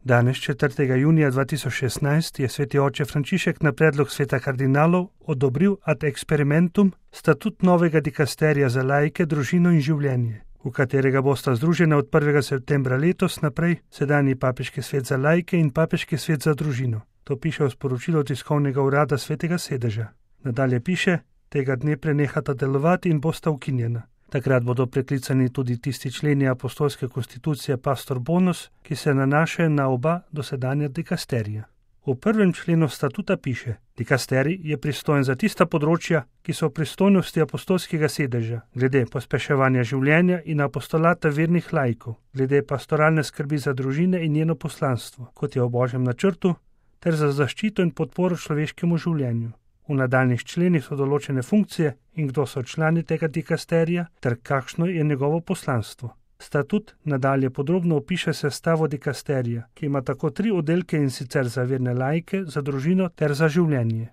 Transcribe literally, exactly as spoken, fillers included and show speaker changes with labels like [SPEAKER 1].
[SPEAKER 1] Danes, četrtega junija dva tisoč šestnajst, je sveti oče Frančišek na predlog sveta kardinalov odobril ad experimentum statut novega dikasterija za laike, družino in življenje, v katerega bosta združena od prvega septembra letos naprej sedanji papeški svet za laike in papeški svet za družino. To piše v sporočilu tiskovnega urada svetega sedeža. Nadalje piše, tega dne prenehata delovati in bosta ukinjena. Takrat bodo preklicani tudi tisti členi apostolske konstitucije Pastor Bonus, ki se nanašajo na oba dosedanja dikasterija. V prvem členu statuta piše, dikasterij je pristojen za tista področja, ki so v pristojnosti apostolskega sedeža, glede pospeševanja življenja in apostolata vernih laikov, glede pastoralne skrbi za družine in njeno poslanstvo, kot je v Božjem načrtu, ter za zaščito in podporo človeškemu življenju. V nadaljnih členih so določene funkcije in kdo so člani tega dikasterija ter kakšno je njegovo poslanstvo. Statut nadalje podrobno opiše sestavo dikasterija, ki ima tako tri oddelke, in sicer za verne laike, za družino ter za življenje.